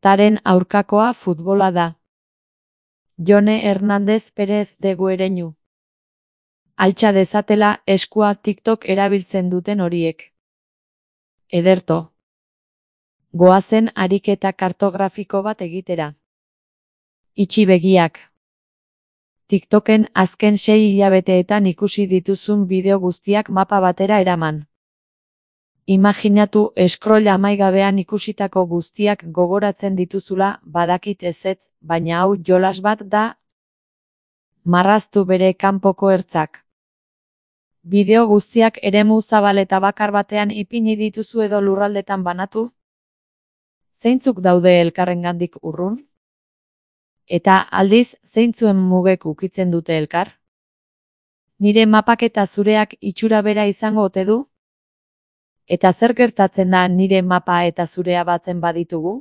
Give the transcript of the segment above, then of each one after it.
Taren aurkakoa futbola da. Jone Hernández Pérez de Guereñu. Altxa dezatela eskua TikTok erabiltzen duten horiek. Ederto. Goazen ariketa kartografiko bat egitera. Itxi begiak. TikToken azken 6 hilabeteetan ikusi dituzun bideo guztiak mapa batera eraman. Imaginatu scroll amaigabean ikusitako guztiak gogoratzen dituzula, badakit ezetz, baina hau jolas bat da. Marraztu bere kanpoko ertzak. Bideo guztiak eremu zabal eta bakar batean ipini dituzu edo lurraldetan banatu? Zeintzuk daude elkarrengandik urrun? Eta aldiz, zeintzuen mugek ukitzen dute elkar? Nire mapak eta zureak itxura bera izango ote du? Eta zer gertatzen da nire mapa eta zurea batzen baditugu?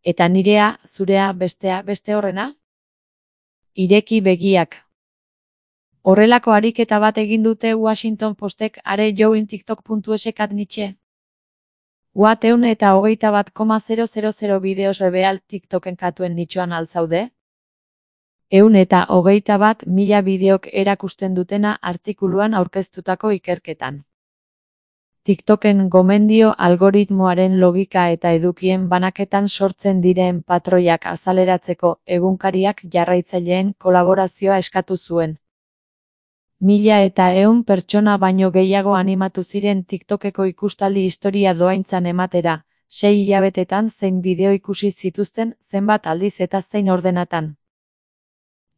Eta nirea, zurea, bestea, beste horrena? Ireki begiak. Horrelako ariketa bat egin dute Washington Postek are join tiktok.es Nietzsche. What 121,000 bideos reveal TikToken katuen nitxoan alzaude? 121.000 bideok erakusten dutena artikuluan aurkeztutako ikerketan. TikToken gomendio algoritmoaren logika eta edukien banaketan sortzen diren patroiak azaleratzeko egunkariak jarraitzaileen kolaborazioa eskatu zuen. 1.100 pertsona baino gehiago animatu ziren TikTokeko ikustaldi historia doaintzan ematera, 6 hilabetetan zein bideo ikusi zituzten, zenbat aldiz eta zein ordenatan.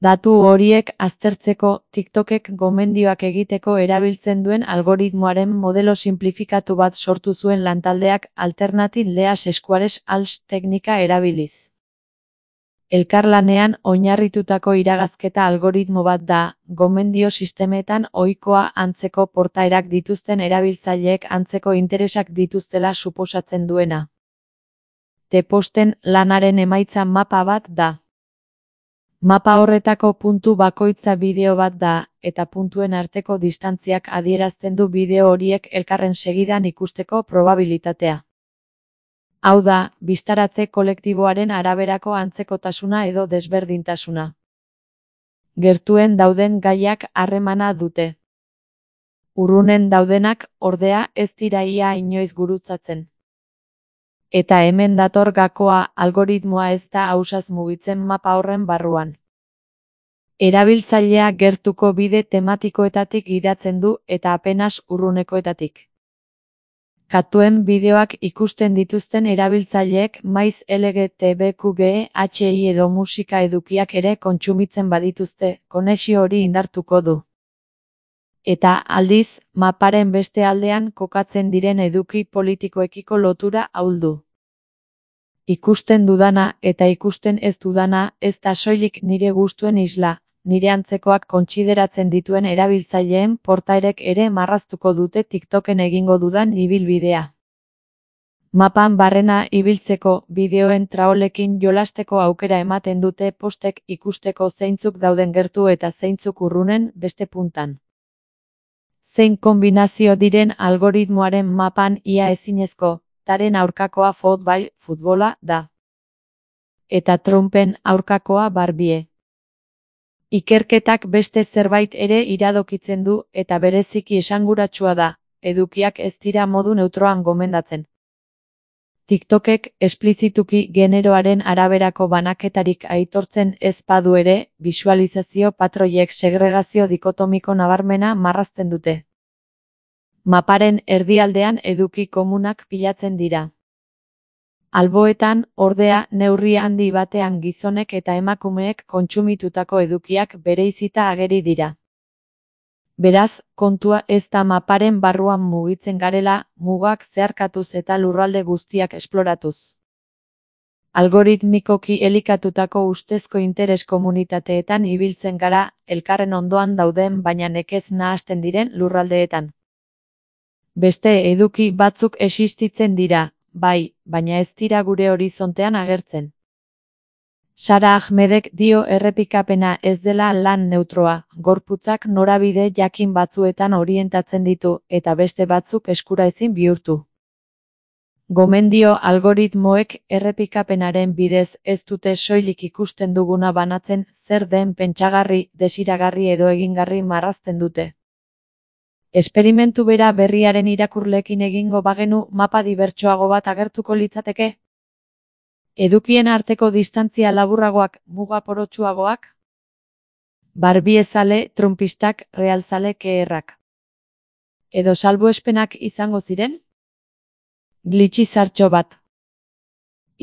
Datu horiek aztertzeko, TikTokek gomendioak egiteko erabiltzen duen algoritmoaren modelo simplifikatu bat sortu zuen lantaldeak Alternative Leas Squares ALS teknika erabiliz. Elkarlanean oinarritutako iragazketa algoritmo bat da, gomendio sistemetan ohikoa antzeko portaerak dituzten erabiltzaileek antzeko interesak dituztela suposatzen duena. T-posten lanaren emaitza mapa bat da. Mapa horretako puntu bakoitza bideo bat da, eta puntuen arteko distantziak adierazten du bideo horiek elkarren segidan ikusteko probabilitatea. Hau da, bistaratze kolektiboaren araberako antzekotasuna edo desberdintasuna. Gertuen dauden gaiak harremana dute. Urrunen daudenak, ordea, ez dira ia inoiz gurutzatzen. Eta hemen dator gakoa, algoritmoa ez da ausaz mugitzen mapa horren barruan. Erabiltzailea gertuko bide tematikoetatik gidatzen du eta apenas urrunekoetatik. Katuen bideoak ikusten dituzten erabiltzaileek maiz LGTBQGHI edo musika edukiak ere kontsumitzen badituzte, konexio hori indartuko du. Eta aldiz, maparen beste aldean kokatzen diren eduki politikoekiko lotura ahuldu. Ikusten dudana eta ikusten ez dudana ez da soilik nire gustuen isla, nire antzekoak kontsideratzen dituen erabiltzaileen portaerek ere marraztuko dute TikToken egingo dudan ibilbidea. Mapan barrena ibiltzeko bideoen traolekin jolasteko aukera ematen dute postek ikusteko zeintzuk dauden gertu eta zeintzuk urrunen beste puntan. Zein kombinazio diren algoritmoaren mapan ia ezinezko, Taren aurkakoa futbola da. Eta Trumpen aurkakoa Barbie. Ikerketak beste zerbait ere iradokitzen du eta bereziki esanguratsua da, edukiak ez dira modu neutroan gomendatzen. TikTokek esplizituki generoaren araberako banaketarik aitortzen ez badu ere, bisualizazio patroiek segregazio dikotomiko nabarmena marrazten dute. Maparen erdialdean eduki komunak pilatzen dira. Alboetan, ordea, neurri handi batean gizonek eta emakumeek kontsumitutako edukiak bereizita ageri dira. Beraz, kontua ez da maparen barruan mugitzen garela, mugak zeharkatuz eta lurralde guztiak esploratuz. Algoritmikoki elikatutako ustezko interes komunitateetan ibiltzen gara, elkarren ondoan dauden baina nekez nahasten diren lurraldeetan. Beste eduki batzuk existitzen dira, bai, baina ez dira gure horizontean agertzen. Sara Ahmedek dio errepikapena ez dela lan neutroa, gorputzak norabide jakin batzuetan orientatzen ditu eta beste batzuk eskuraezin bihurtu. Gomendio algoritmoek errepikapenaren bidez ez dute soilik ikusten duguna banatzen, zer den pentsagarri, desiragarri edo egingarri marrazten dute. Esperimentu bera berriaren irakurleekin egingo bagenu mapa dibertsoago bat agertuko litzateke? Edukien arteko distantzia laburragoak, muga porotsuagoak? Barbiezale, trumpistak, realzale keerrak. Edo salbuespenak izango ziren? Glitch izartxo bat.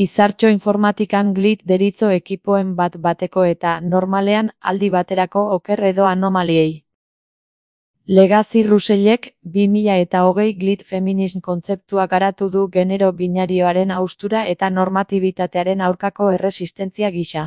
Izartxo informatikan glitch deritzo ekipoen bat bateko eta normalean aldi baterako oker edo anomaliei. Legacy Russellek 2020 glitch feminism kontzeptua garatu du genero binarioaren haustura eta normatibitatearen aurkako erresistentzia gisa.